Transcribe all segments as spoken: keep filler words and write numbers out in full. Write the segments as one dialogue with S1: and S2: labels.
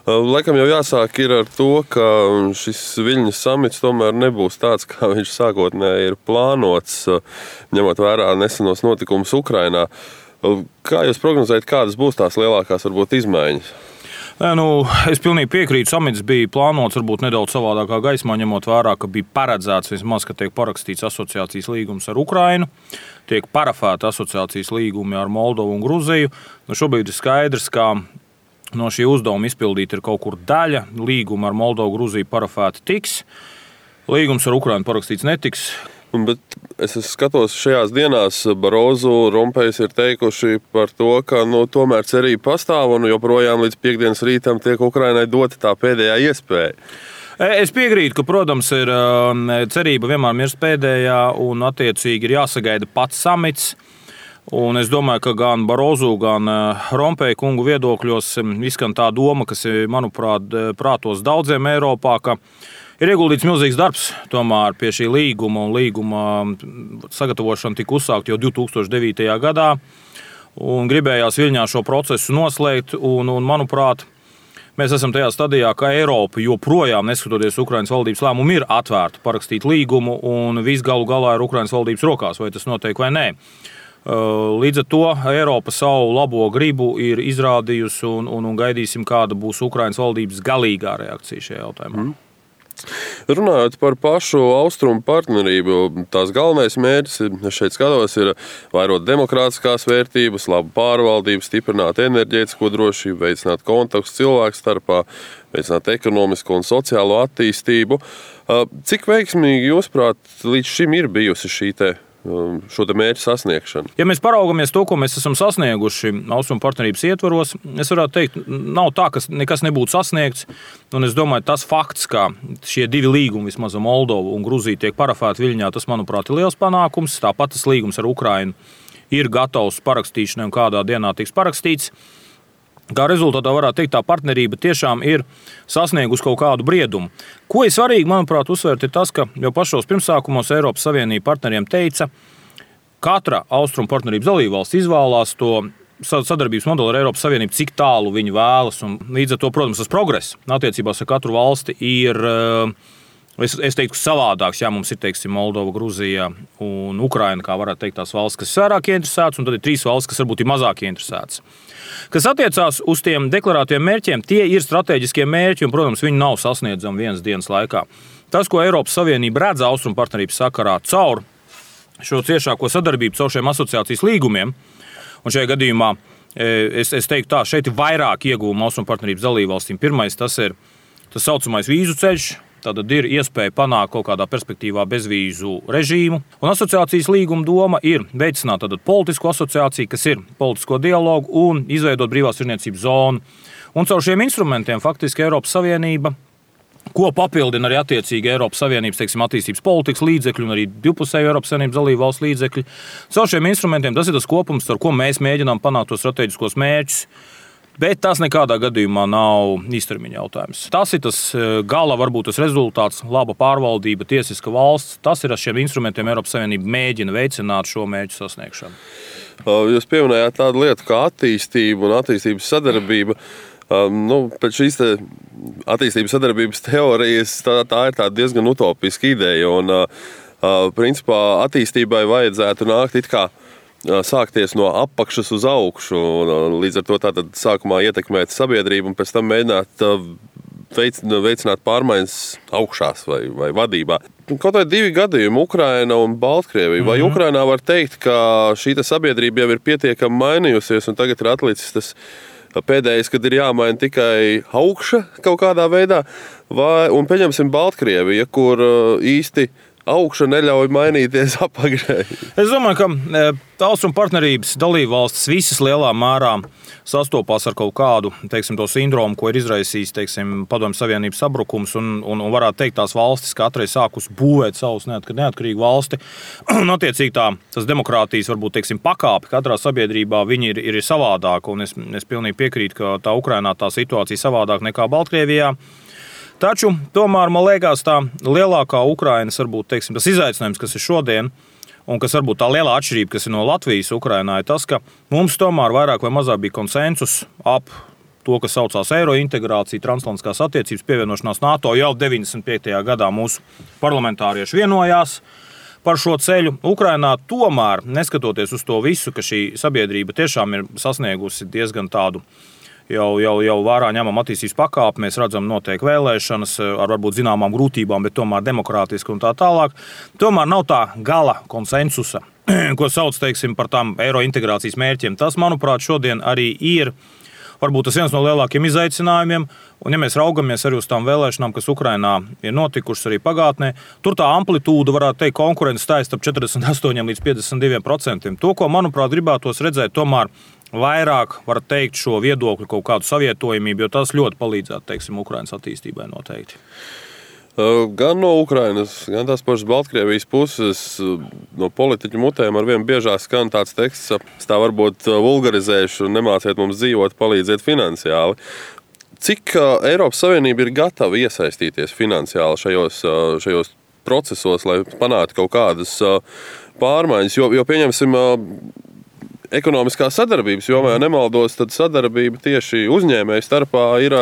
S1: Laikam jau jāsāk ir ar to, ka šis Viļņas samits tomēr nebūs tāds, kā viņš sākotnēji ir plānots, ņemot vērā nesenos notikumus Ukrainā. Kā jūs prognozējat, kādas būs tās lielākās varbūt izmaiņas?
S2: Nu, es pilnīgi piekrītu, samits bija plānots varbūt nedaudz savādākā gaismā, ņemot vērā, ka bija paredzēts vismaz, ka tiek parakstīts asociācijas līgums ar Ukrainu, tiek parafēta asociācijas līgumi ar Moldovu un Gruziju. Nu, šobrīd ir skaidrs, ka no šī uzdevuma izpildīt ir kaut kur daļa. Līguma ar Moldovu, Gruziju parafēti tiks. Līgums ar Ukrainu parakstīts netiks.
S1: Bet es skatos, šajās dienās Barozu, Rompējs ir teikuši par to, ka nu, tomēr cerība pastāv un joprojām līdz piekdienas rītam tiek Ukrainai dota tā pēdējā iespēja.
S2: Es piekrītu, ka, protams, ir cerība vienmēr mirst pēdējā un attiecīgi ir jāsagaida pats samits. Un es domāju, ka gan Barozu, gan Rompēja kungu viedokļos izskan tā doma, kas ir, manuprāt, prātos daudziem Eiropā, ka ir ieguldīts milzīgs darbs tomēr pie šī līguma, un līguma sagatavošana tika uzsākt jau divi tūkstoši devītajā gadā, un gribējās Viļņā šo procesu noslēgt, un, un manuprāt, mēs esam tajā stadijā, ka Eiropa joprojām, neskatoties Ukrainas valdības lēmumu, ir atvērta parakstīt līgumu, un viss galu galā ir Ukrainas valdības rokās, vai tas notiek vai nē. Līdz ar to Eiropa savu labo gribu ir izrādījusi un, un, un gaidīsim, kāda būs Ukrainas valdības galīgā reakcija šajā jautājumā.
S1: Mm. Runājot par pašu austrumu partnerību, tās galvenais mērķis, es šeit skatos, ir vairot demokrātiskās vērtības, labu pārvaldību, stiprināt enerģētisko drošību, veicināt kontaktus cilvēku starpā, veicināt ekonomisko un sociālo attīstību. Cik veiksmīgi, jūsuprāt, līdz šim ir bijusi šī te šo te mērķu sasniegšanu?
S2: Ja mēs paraugamies to, ko mēs esam sasnieguši austrumu partnerības ietvaros, es varētu teikt, nav tā, ka nekas nebūtu sasniegts. Un es domāju, tas fakts, ka šie divi līgumi, vismaz Moldovu un Gruziju, tiek parafēti Viļņā, tas, manuprāt, ir liels panākums. Tāpat tas līgums ar Ukrainu ir gatavs parakstīšanai un kādā dienā tiks parakstīts. Kā rezultātā varētu teikt, tā partnerība tiešām ir sasniegusi kaut kādu briedumu. Ko ir svarīgi, manuprāt, uzsvērt, ir tas, ka jau pašos pirmsākumos Eiropas Savienība partneriem teica, katra austrumu partnerības dalībvalsts izvēlās to sadarbības modeli ar Eiropas Savienību, cik tālu viņi vēlas. Un līdz ar to, protams, tas progress attiecībās ar katru valsti ir, es, es teiktu, savādāks. Jā, mums ir, teiksim, Moldova, Gruzija un Ukraina, kā varētu teikt, tās valsts, kas ir vairāk ieinteresētas, un tad ir trīs valsts, kas varbūt ir mazāk ieinteresētas. Kas attiecās uz tiem deklarētiem mērķiem, tie ir strateģiskie mērķi, un, protams, viņi nav sasniedzami vienas dienas laikā. Tas, ko Eiropas Savienība redz austrumu partnerības sakarā caur šo ciešāko sadarbību, caur šiem asociācijas līgumiem, un šajā gadījumā es, es teiktu tā, šeit ir vairāk ieguvumi austrumu partnerības dalībvalstīm. Pirmais, tas ir tas saucamais vīzu ceļš. Tātad ir iespēja panākt kaut kādā perspektīvā bezvīzu režīmu. Un asociācijas līguma doma ir veicināt tātad politisko asociāciju, kas ir politisko dialogu, un izveidot brīvās tirdzniecības zonu. Un caur šiem instrumentiem faktiski Eiropas Savienība, ko papildina arī attiecīgi Eiropas Savienības, teiksim, attīstības politikas līdzekļi un arī divpusēju Eiropas Savienības dalību valstu līdzekļi. Caur šiem instrumentiem tas ir tas kopums, ar ko mēs mēģinām panākt tos strateģiskos mērķus. Bet tas nekādā gadījumā nav īstermiņa jautājums. Tas ir tas gala, varbūt tas rezultāts, laba pārvaldība, tiesiska valsts. Tas ir ar šiem instrumentiem Eiropas Savienība mēģina veicināt šo mērķu sasniegšanu.
S1: Jūs pieminējāt tādu lietu kā attīstība un attīstības sadarbība. Nu, pēc šīs te attīstības sadarbības teorijas tā, tā ir tāda diezgan utopiska ideja. Un, principā attīstībai vajadzētu nākt it kā sākties no apakšas uz augšu, un līdz ar to tātad sākumā ietekmēt sabiedrību un pēc tam mēģināt veicināt pārmaiņas augšās vai, vai vadībā. Kaut vai divi gadījumi, Ukraina un Baltkrievija. Vai mm-hmm. Ukrainā var teikt, ka šī sabiedrība jau ir pietiekami mainījusies un tagad ir atlicis tas pēdējais, kad ir jāmaina tikai augša kaut kādā veidā? Vai, un pieņemsim Baltkrievija, kur īsti augša neļauj mainīties apakšai.
S2: Es domāju, ka austrumu partnerības dalībvalstis visas lielā mērā sastopās ar kaut kādu, teiksim, to sindromu, ko ir izraisījis, teiksim, Padomju Savienības sabrukums, un, un, un varētu teikt tās valstis katrai sākus būvēt savus neatkarīgu valsti. Un attiecīgi tā, tas demokrātijas, varbūt, teiksim, pakāpi katrā sabiedrībā viņi ir, ir savādāk, un es, es pilnīgi piekrītu, ka tā Ukrainā tā situācija savādāk nekā Baltkrievijā. Taču tomēr, man liekas, tā lielākā Ukrainas, varbūt, teiksim, tas izaicinājums, kas ir šodien, un kas varbūt tā lielā atšķirība, kas ir no Latvijas Ukrainā, ir tas, ka mums tomēr vairāk vai mazāk bija konsensus ap to, kas saucās eiro integrācija, transatlantiskās attiecības, pievienošanās NATO. Jau deviņdesmit piektajā gadā mūsu parlamentārieši vienojās par šo ceļu. Ukrainā tomēr, neskatoties uz to visu, ka šī sabiedrība tiešām ir sasniegusi diezgan tādu Jau, jau, jau vērā ņemam attīstības pakāpi, mēs redzam notiek vēlēšanas ar varbūt zināmām grūtībām, bet tomēr demokrātiski un tā tālāk. Tomēr nav tā gala konsensusa, ko sauc, teiksim, par tām eiro integrācijas mērķiem. Tas, manuprāt, šodien arī ir varbūt tas viens no lielākiem izaicinājumiem. Un ja mēs raugamies arī uz tām vēlēšanām, kas Ukrainā ir notikušas arī pagātnē, tur tā amplitūda, varētu teikt, konkurence stājas starp četrdesmit astoņiem līdz piecdesmit diviem procentiem. To, ko, manuprāt, gribētos redzēt, tomēr vairāk var teikt šo viedokļu kaut kādu savietojamību, jo tas ļoti palīdzētu, teiksim, Ukrainas attīstībai noteikti.
S1: Gan no Ukrainas, gan tās pašas Baltkrievijas puses, no politiķu mutēm ar vien biežāk skan tāds teksts, tā varbūt vulgarizēšu, nemāciet mums dzīvot, palīdziet finansiāli. Cik Eiropas Savienība ir gatava iesaistīties finansiāli šajos, šajos procesos, lai panāktu kaut kādas pārmaiņas, jo, jo pieņemsim, ekonomiskā sadarbības jomā, ja nemaldos, tad sadarbība tieši uzņēmēju starpā ir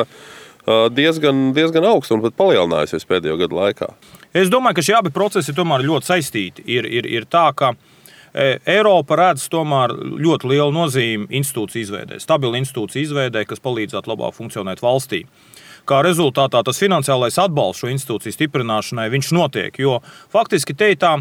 S1: diezgan, diezgan augsta un pat palielinājusies pēdējo gadu laikā.
S2: Es domāju, ka šie abi procesi tomēr ļoti saistīti. Ir, ir, ir tā, ka Eiropa redz tomēr ļoti lielu nozīmi institūciju izveidē, stabilu institūciju izveidē, kas palīdzētu labāk funkcionēt valstī. Kā rezultātā tas finansiālais atbalsts šo institūciju stiprināšanai viņš notiek, jo faktiski te tā,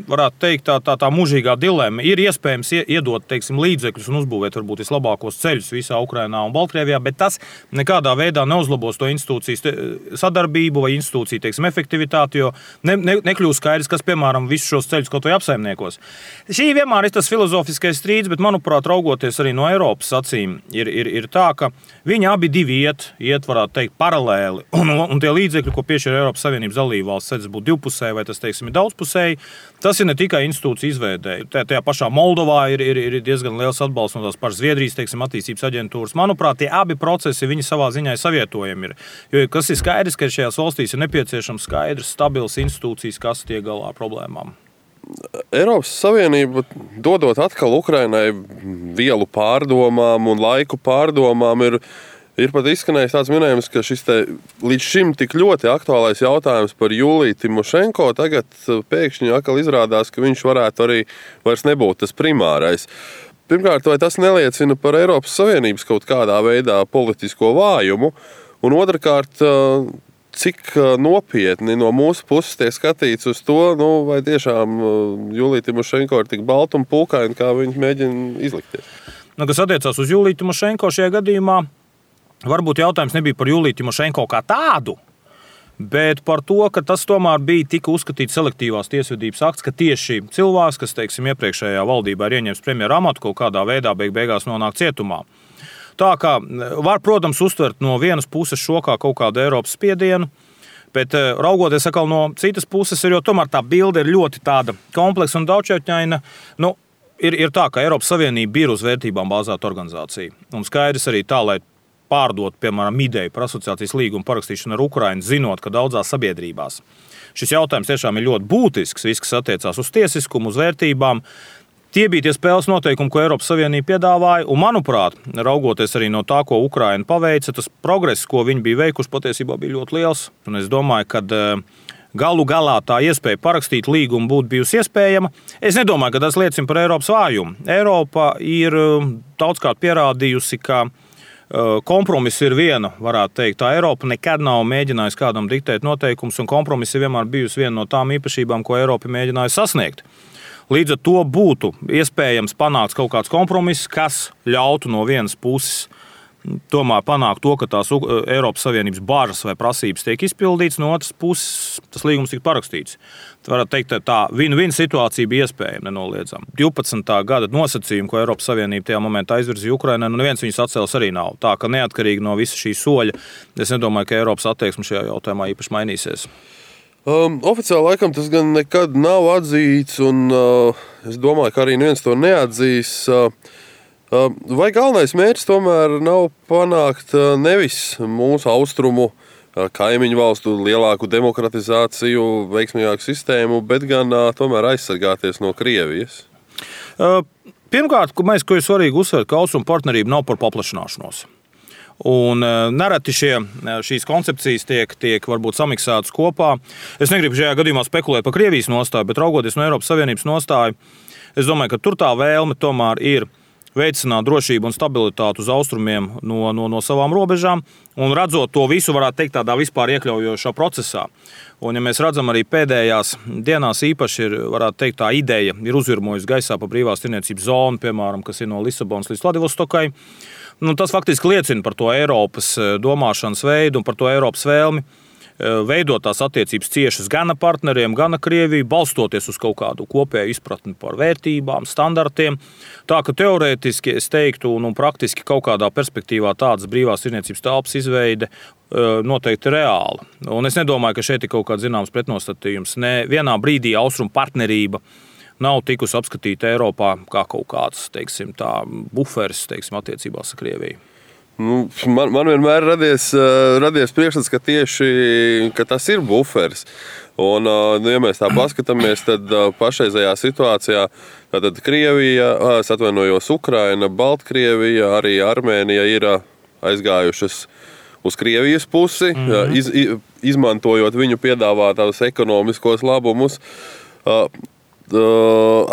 S2: varētu teikt, tā, tā, tā mūžīgā dilema ir iespējams iedot, teiksim, līdzekļus un uzbūvēt varbūt vislabākos ceļus visā Ukrainā un Baltkrievijā, bet tas nekādā veidā neuzlabos to institūciju sadarbību vai institūciju, teiksim, efektivitāti, jo ne, ne, nekļūst skaidrs, kas, piemēram, visus šos ceļus kaut vai apsaimniekos. Šī vienmēr ir tas filozofiskais strīds, bet, manuprāt, raugoties arī no Eiropas acīm, ir, ir, ir tā, ka viņi abi divi iet, iet varētu teikt, paralēli. Un, un tie līdzekļi, ko piešķir Eiropas Savienības dalībvalsts, tas būtu divpusēji vai tas, teiksim, ir daudzpusēji, tas ir ne tikai institūcija izveidē. Tajā pašā Moldovā ir, ir, ir diezgan liels atbalsts no tās pašas Zviedrijas, teiksim, attīstības aģentūras. Manuprāt, tie abi procesi, viņi savā ziņā savietojami ir. Jo kas ir skaidrs, ka šajās valstīs ir nepieciešams skaidrs, stabils institūcijas, kas tiek galā ar problēmām.
S1: Eiropas Savienība, dodot atkal Ukrainai vielu pārdomām un laiku pārdomām, ir Ir pat izskanējis tāds minējums, ka šis te līdz šim tik ļoti aktuālais jautājums par Juliju Timošenko tagad pēkšņi atkal izrādās, ka viņš varētu arī vairs nebūt tas primārais. Pirmkārt, vai tas neliecina par Eiropas Savienības kaut kādā veidā politisko vājumu? Un otrkārt, cik nopietni no mūsu puses tiek skatīts uz to, nu, vai tiešām Julija Timošenko ir tik balta un pulkaina, kā viņi mēģina izlikties?
S2: Nu, kas attiecās uz Juliju Timošenko šajā gadījumā, varbūt jautājums nebija par Juliju Timošenko kā tādu, bet par to, ka tas tomēr bija tika uzskatīts selektīvās tiesvedības akts, ka tieši cilvēks, kas, teiksim, iepriekšējā valdībā ir ieņems premjera amatu, kaut kādā veidā beig beigās nonāk cietumā. Tā kā var, protams, uztvert no vienas puses šo kā kaut kādu Eiropas spiedienu, bet raugoties atkal no citas puses, jo tomēr tā bilde ir ļoti tāda kompleksa un daudzšķautņaina. Nu, ir, ir tā, ka Eiropas Savienība ir uz vērtībām bāzēta organizācija. Un skaidrs arī tā, lai pārdot, piemēram, ideju par asociācijas līgumu parakstīšanu ar Ukrainu, zinot, ka daudzās sabiedrībās šis jautājums tiešām ir ļoti būtisks, viss, kas attiecās uz tiesiskumu, uz vērtībām. Tie bija tie spēles noteikumi, ko Eiropas Savienība piedāvāja, un, manuprāt, raugoties arī no tā, ko Ukraina paveica, tas progress, ko viņi bija veikuši, patiesībā bija ļoti liels. Un es domāju, ka galu galā tā iespēja parakstīt līgumu būtu bijusi iespējama. Es nedomāju, ka tas liecina par Eiropas vājumu. Eiropa ir daudzkārt pierādījusi, ka kompromiss ir viena, varētu teikt. Tā Eiropa nekad nav mēģinājusi kādam diktēt noteikumus, un kompromiss ir vienmēr bijusi viena no tām īpašībām, ko Eiropa mēģināja sasniegt. Līdz ar to būtu iespējams panākt kaut kāds kompromiss, kas ļautu no vienas puses tomēr panākt to, ka tās Eiropas Savienības bāžas vai prasības tiek izpildīts, no otras puses tas līgums tika parakstīts. Tā varētu teikt, tā win-win situācija bija iespējama, nenoliedzama. divpadsmitā gada nosacījumi, ko Eiropas Savienība tajā momentā izvirzīja Ukrainai, nu neviens viņus atcels arī nav. Tā ka neatkarīgi no visa šī soļa, es nedomāju, ka Eiropas attieksme šajā jautājumā īpaši mainīsies.
S1: Um, oficiāli laikam tas gan nekad nav atzīts, un uh, es domāju, ka arī neviens to neatzīs. Uh, Vai galvenais mērķis tomēr nav panākt nevis mūsu austrumu kaimiņu valstu lielāku demokratizāciju, veiksmīgāku sistēmu, bet gan tomēr aizsargāties no Krievijas?
S2: Pirmkārt, mēs, ko ir svarīgi uzsvērt, ka austrumu partnerība nav par paplašināšanos. Un nereti šie, šīs koncepcijas tiek, tiek varbūt samiksētas kopā. Es negribu šajā gadījumā spekulēt par Krievijas nostāju, bet raugoties no Eiropas Savienības nostāju, es domāju, ka tur tā vēlme tomēr ir veicināt drošību un stabilitāti uz austrumiem no, no, no savām robežām. Un redzot to visu, varētu teikt, tādā vispār iekļaujošā procesā. Un, ja mēs redzam arī pēdējās dienās īpaši, ir, varētu teikt, tā ideja ir uzvirmojusi gaisā pa brīvās tirniecības zonu, piemēram, kas ir no Lisabonas līdz Vladivostokai. Nu, tas faktiski liecina par to Eiropas domāšanas veidu un par to Eiropas vēlmi veidot tās attiecības ciešas gan ar partneriem, gan ar Krieviju, balstoties uz kaut kādu kopēju izpratni par vērtībām, standartiem. Tā ka teorētiski es teiktu, un, un praktiski kaut kādā perspektīvā tādas brīvās tirniecības telpas izveide noteikti reāla. Un es nedomāju, ka šeit ir kaut kāds zināms pretnostatījums. Ne vienā brīdī austrumu partnerība nav tikusi apskatīta Eiropā kā kaut kāds, teiksim, tā buferis, teiksim, attiecībās ar Krieviju.
S1: Nu, man, man vienmēr radies, radies priekšstats, ka tieši ka tas ir buferis. Un, nu, ja mēs tā paskatāmies, tad pašreizējā situācijā tad Krievija, es atvainojos, Ukraina, Baltkrievija, arī Armēnija ir aizgājušas uz Krievijas pusi, mm-hmm. iz, izmantojot viņu piedāvātās ekonomiskos labumus.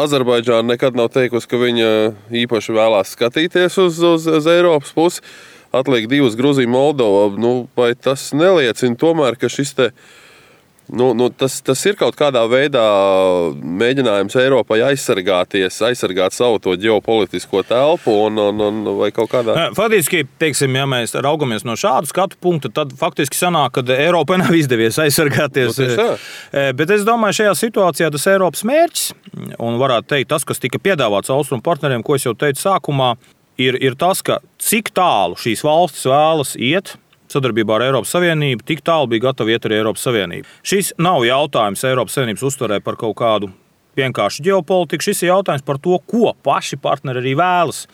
S1: Azerbaidžāna nekad nav teikusi, ka viņa īpaši vēlās skatīties uz, uz, uz Eiropas pusi. Atliek divas Gruzija, Moldova. Nu, vai tas neliecina tomēr, ka šis te, nu, nu, tas, tas ir kaut kādā veidā mēģinājums Eiropai aizsargāties, aizsargāt savu to ģeopolitisko telpu un, un, un vai kaut kādā...
S2: Faktiski, teiksim, ja mēs raugamies no šādu skatu punktu, tad faktiski sanāk, ka Eiropai nav izdevies aizsargāties.
S1: Nu,
S2: bet es domāju, šajā situācijā tas Eiropas mērķis, un varētu teikt, tas, kas tika piedāvāts austrumu partneriem, ko es jau teicu sākumā, ir, ir tas, ka cik tālu šīs valstis vēlas iet sadarbībā ar Eiropas Savienību, tik tālu bija gatavi iet arī Eiropas Savienība. Šis nav jautājums Eiropas Savienības uztverē par kaut kādu vienkārši ģeopolitiku, šis ir jautājums par to, ko paši partneri arī vēlas.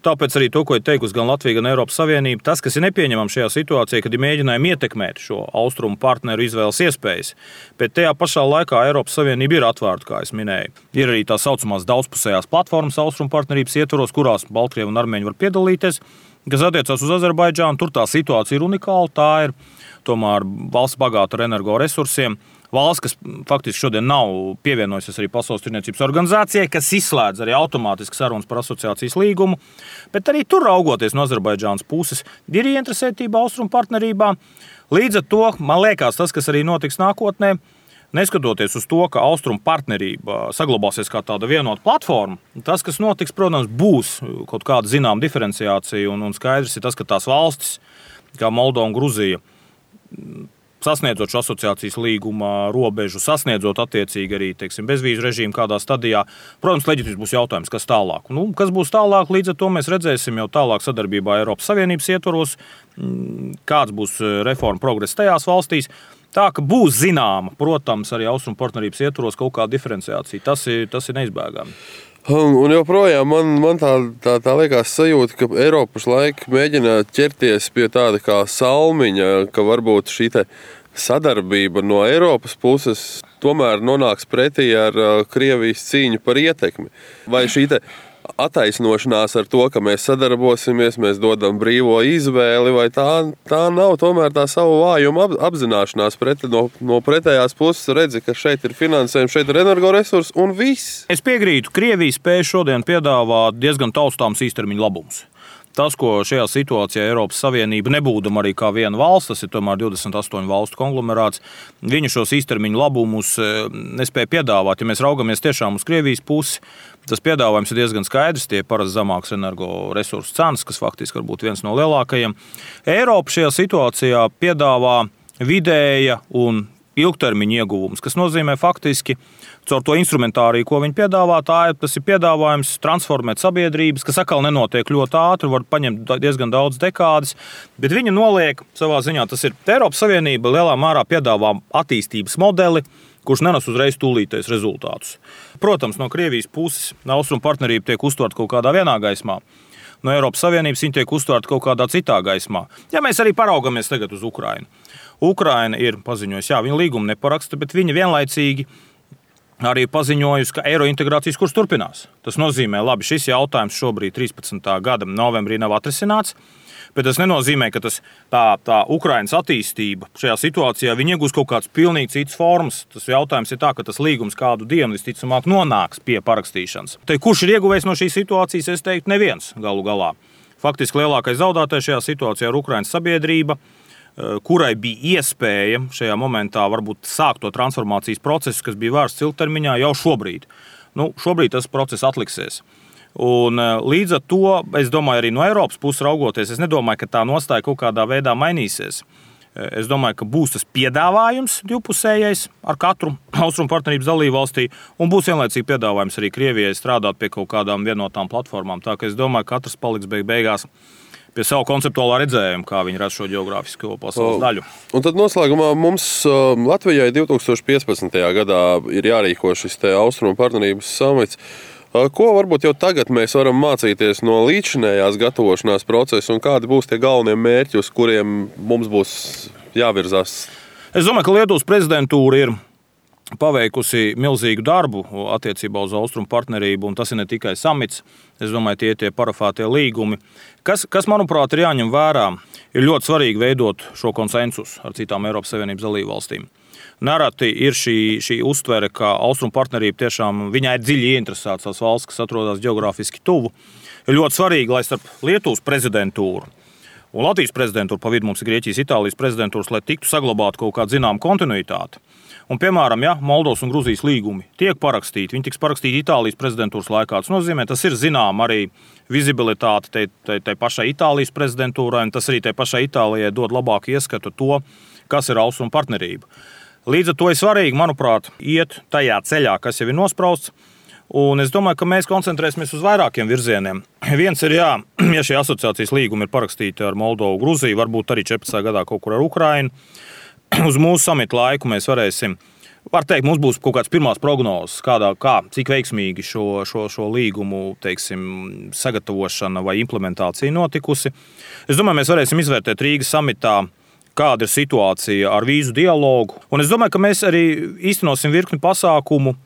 S2: Tāpēc arī to, ko ir teikusi gan Latvija, gan Eiropas Savienība, tas, kas ir nepieņemams šajā situācijā, kad ir mēģinājumi ietekmēt šo austrumu partneru izvēles iespējas, bet tajā pašā laikā Eiropas Savienība ir atvērta, kā es minēju. Ir arī tā saucamās daudzpusējās platformas austrumu partnerības ietvaros, kurās Baltkrievi un armēņi var piedalīties, kas attiecās uz Azerbaidžānu. Tur tā situācija ir unikāla, tā ir tomēr valsts bagāta ar energoresursiem. Valsts, kas faktiski šodien nav pievienojusies arī Pasaules tirniecības organizācijai, kas izslēdz arī automātiski sarunas par asociācijas līgumu, bet arī tur raugoties no Azerbaidžānas puses ir ieinteresētība austrumu partnerībā. Līdz ar to, man liekas, tas, kas arī notiks nākotnē, neskatoties uz to, ka austrumu partnerība saglabāsies kā tāda vienota platforma, tas, kas notiks, protams, būs kaut kāda zināma diferenciācija, un, un skaidrs ir tas, ka tās valstis, kā Moldova un Gruzija, sasniedzot šo asociācijas līguma robežu, sasniedzot attiecīgi arī, teiksim, bezvīzu režīmu kādā stadijā, protams, leģitīvs būs jautājums, kas tālāk. Nu, kas būs tālāk, līdz ar to mēs redzēsim jau tālāk sadarbībā Eiropas Savienības ietvaros, kāds būs reforma progress tajās valstīs. Tā, ka būs zināma, protams, arī austrumu partnerības ietvaros kaut kāda diferenciācija. Tas ir, tas ir neizbēgami.
S1: Un joprojām man, man tā, tā, tā liekas sajūta, ka Eiropa pašlaik mēģina ķerties pie tāda kā salmiņa, ka varbūt šī te sadarbība no Eiropas puses tomēr nonāks pretī ar Krievijas cīņu par ietekmi. Vai šī te attaisnošanās ar to, ka mēs sadarbosimies, mēs dodam brīvo izvēli, vai tā, tā nav tomēr tā savu vājumu apzināšanās pret, no, no pretējās puses redzi, ka šeit ir finansējums, šeit ir energoresursi un viss.
S2: Es piekrītu, Krievija spēj šodien piedāvāt diezgan taustāms īstermiņa labumus. Tas, ko šajā situācijā Eiropas Savienība nebūdama arī kā viena valsts, tas ir tomēr divdesmit astoņu valstu konglomerāts, viņu šos īstermiņu labumus nespēja piedāvāt. Ja mēs raugamies tiešām uz Krievijas pusi, tas piedāvājums ir diezgan skaidrs, tie parasti zemākas energoresursu cenas, kas faktiski var būt viens no lielākajiem. Eiropa šajā situācijā piedāvā vidēja un ilgtermiņa ieguvums, kas nozīmē faktiski caur to instrumentāriju, ko viņi piedāvā, tā ir, tas ir piedāvājums transformēt sabiedrības, kas atkal nenotiek ļoti ātri, var paņemt diezgan daudz dekādes, bet viņi noliek savā ziņā, tas ir Eiropas Savienība lielā mērā piedāvā attīstības modeli, kurš nenes uzreiz tūlītais rezultātus. Protams, no Krievijas puses austrumu partnerība tiek uztverta kaut kādā vienā gaismā. No Eiropas Savienības viņi tiek uztverta kaut kādā citā gaismā. Ja mēs arī paraugamies tagad uz Ukrainu. Ukraina ir paziņojusi, jā, viņa līgumu neparaksta, bet viņa vienlaicīgi arī paziņojusi, ka eirointegrācijas kurs turpinās. Tas nozīmē, labi, šis jautājums šobrīd trīspadsmitā gada novembrī nav atrisināts. Bet tas nenozīmē, ka tas, tā, tā Ukrainas attīstība šajā situācijā iegūs kaut kāds pilnīgi cits formas. Tas jautājums ir tā, ka tas līgums kādu dienu visticamāk nonāks pie parakstīšanas. Te, kurš ir ieguvējis no šīs situācijas, es teiktu, neviens galu galā. Faktiski lielākais zaudētājs šajā situācijā ir Ukrainas sabiedrība, kurai bija iespēja šajā momentā varbūt sākt to transformācijas procesu, kas bija vērsts ilgtermiņā jau šobrīd. Nu, šobrīd tas process atliksies. Un līdz ar to, es domāju, arī no Eiropas puses raugoties, es nedomāju, ka tā nostāja kaut kādā veidā mainīsies. Es domāju, ka būs tas piedāvājums divpusējais ar katru Austrumu partnerības dalībvalstī, un būs vienlaicīgi piedāvājums arī Krievijai strādāt pie kaut kādām vienotām platformām. Tā ka es domāju, ka katrs paliks beig beigās pie savu konceptuālā redzējuma, kā viņi redz šo geogrāfisko pasaules daļu.
S1: Un tad noslēgumā mums Latvijai divtūkstoš piecpadsmitajā gadā ir jārīko šis te Austrumu partnerības samits. Ko varbūt jau tagad mēs varam mācīties no līdzinējās gatavošanās procesa un kādi būs tie galvenie mērķi, uz kuriem mums būs jāvirzās?
S2: Es domāju, ka Lietuvas prezidentūra ir paveikusi milzīgu darbu attiecībā uz Austrumu partnerību, un tas ir ne tikai samits. Es domāju, tie ir tie parafētie līgumi. Kas, kas, manuprāt, ir jāņem vērā, ir ļoti svarīgi veidot šo konsensusu ar citām Eiropas Savienības dalībvalstīm. Nereti ir šī, šī uztvere, ka Austrumu partnerība tiešām viņai ir dziļi ieinteresētas tās valsts, kas atrodas geogrāfiski tuvu. Ir ļoti svarīgi, lai starp Lietuvas prezidentūru un Latvijas prezidentūru, pa vidu mums ir Grieķijas, Itālijas prezidentūras, lai tiktu saglabāt kaut kādu zinām kontinuitāti. Un, piemēram, ja Moldovas un Gruzijas līgumi tiek parakstīti, viņi tiks parakstīti Itālijas prezidentūras laikā. Tas nozīmē, tas ir zinām arī vizibilitāte tai, tai, tai pašai Itālijas prezidentūrai, un tas arī tai pašai Itālijai dod labāku ieskatu to, kas ir Austrumu partnerība. Līdz ar to ir svarīgi, manuprāt, iet tajā ceļā, kas jau ir nosprausts. Un es domāju, ka mēs koncentrēsimies uz vairākiem virzieniem. Viens ir, jā, ja šie asociācijas līgumi ir parakstīti ar Moldovu, Gruziju, varbūt arī četrpadsmitajā gadā kaut kur ar Ukrainu. Uz mūsu samita laiku mēs varēsim, var teikt, mums būs kaut kāds pirmās prognozes, kādā, kā, cik veiksmīgi šo, šo, šo līgumu, teiksim, sagatavošana vai implementācija notikusi. Es domāju, mēs varēsim izvērtēt Rīgas samitā, kāda ir situācija ar vīzu dialogu. Un es domāju, ka mēs arī īstenosim virkni pasākumu.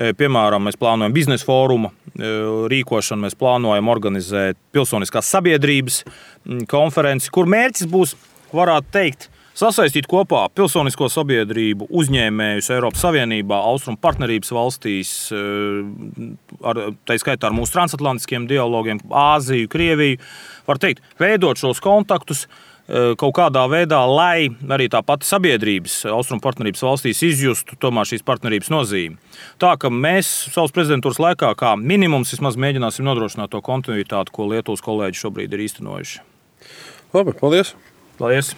S2: Piemēram, mēs plānojam biznesa fóruma rīkošanu, mēs plānojam organizēt pilsoniskās sabiedrības konferenci, kur mērķis būs, varētu teikt, sasaistīt kopā pilsonisko sabiedrību, uzņēmējus Eiropas Savienībā, Austrumu partnerības valstīs, ar, tā skaitā ar mūsu transatlantiskiem dialogiem, Āziju, Krieviju, var teikt, veidot šos kontaktus kaut kādā veidā, lai arī tā pati sabiedrības Austrumu partnerības valstīs izjustu tomēr šīs partnerības nozīmi. Tā, ka mēs savas prezidentūras laikā kā minimums vismaz mēģināsim nodrošināt to kontinuitāti, ko Lietuvas kolēģi šobrīd ir īstenojuši.
S1: Labi, paldies!
S2: Paldies!